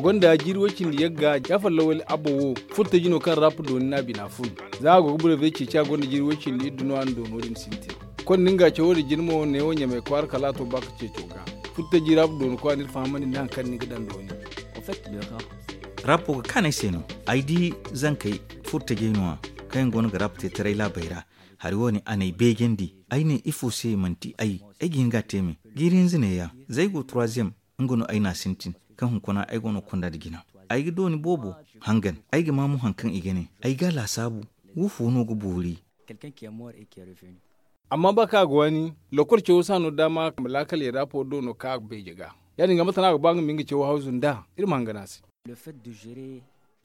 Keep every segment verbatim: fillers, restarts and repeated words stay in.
Gonda jiiri way cindi yagga, jaafar lawali abba wo, furtaji no kaŋ rap dooni no a bina fun. Za a go ga burey bay ceeci, a gonda jiiri way cindi iddu no a na doono din sintin. Konda nga cawo din jina mo neewo ɲamay kwaara kala a to ba ka ceeco ga. Furtaji rap dooni kwa no iri fahamandi nda hari kaŋ ni ga daŋ dooni. Rap wo ga kaanu ay se no. Ay di zankey furtajey no- ya kaŋ yaŋ go no ga rap te taray laabey ra. Hari wo- ne a n'ay beejandi. Ay ne ifo se manti ay? Ay ga hin ga a te me. Jiiri hinza neeya za ay go troisième, nga no ay n'a sintin, kaŋ hunkuna ay go no ga konda nda jina. Ay ga dooni boobo hangan. Ay ga maa mo hari kaŋ i ga ne. Ay ga a laasaabu. Wo fo no ga boori? Amma ba kaŋ a ga waani, lokol cawo si a no daama ma laakal yadda afo do no kaŋ a ga beeje ga. Ya- din ga mate no a ga ba nga ma nga cawo hawzu nd'a? Iri ma hangan a se.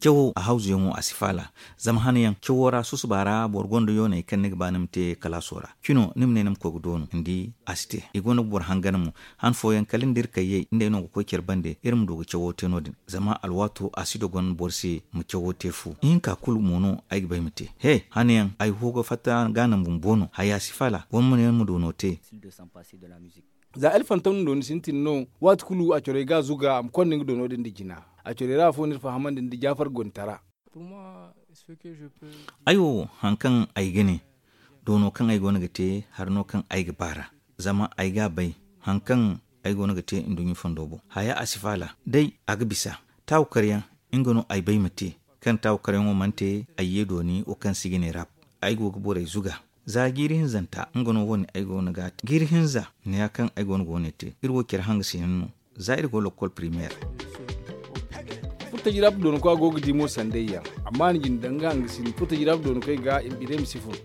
Cawo a hawzuyaŋo a si faala. Zama hanayaŋ cawo ra susuba ra boro gonda yooney kaŋ ni ga ba ni ma te kalaaso ra, cino ni ma ne ni ma koy ga doonu ni di? A si te. I go no ga boro hangan mo. Han fooyaŋ kala ni da iri kayyey nd'ey no ga koy care bande iri ma du ga cawo te no- din. Zama alwaato a si dogon boro se ma cawo te fu. Ihinka kulu mo no ay ga ba ay ma te. He, hanayaŋ ay ho ga fatta ga naŋ bumbo no haya si faala boro ma ne ni ma doono te. Za elfantom na dooni sintin no, waati kulu a corey ga a zuga a ma konda nga doono din nda jina. A corey ra afo no iri fahamandi nda jaafar gontara. Ay wo, hari kaŋ ay ga ne, doono kaŋ ay go no ga te hari no kaŋ ay ga baar'a. Zama ay ga a bay hari kaŋ ay go no ga te nduɲɲa fondo boŋ haya a si faala. Day a ga bisa taawu karyaŋ, nga no ay bay ma te. Kaŋ taawu karyaŋo mana te, ay ye dooni wo kaŋ se i ga ne rap. Ay go ga borey zuga. Za jiiri hinzanta nga no wo- ne ay go no ga a te jiiri hinza. Neeya kaŋ ay go no ga wo- ne te iri wo care hanga se yaŋ no. Za iri go lokol primeer. Furtaji rap doonakwa go ga di mo sandayyaŋ. Amma a na jina daŋ nga hangasin furtaji rap doonakey ga i ma biney ma si fun.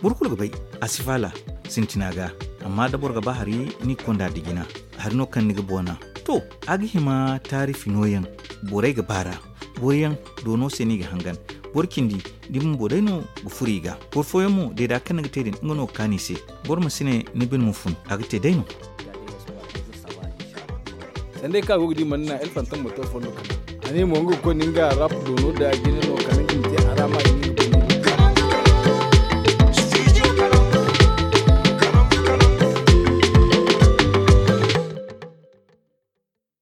Boro kulu ga bay a si faala sintina ga. Amma da boro ga ba hari ni ga konda nda jina, hari no kaŋ ni ga boona. To, a ga hima taarifi nooyaŋ. Borey ga baar'a. Boro yaŋ doono se no i ga hangan. Boro cindi da i bumbo day no ga furo i ga. Boro fooyaŋ mo deeda kaŋ ni ga te din nga no ga kaanu i se. Boro ma si ne ni bine ma fun a ga te day no. Sanda ay kaŋ a go ga di mana naŋ elfantom ma to fondo kala a ne mo nga ga koy no nga rap doono da jine no kala nga ma te a.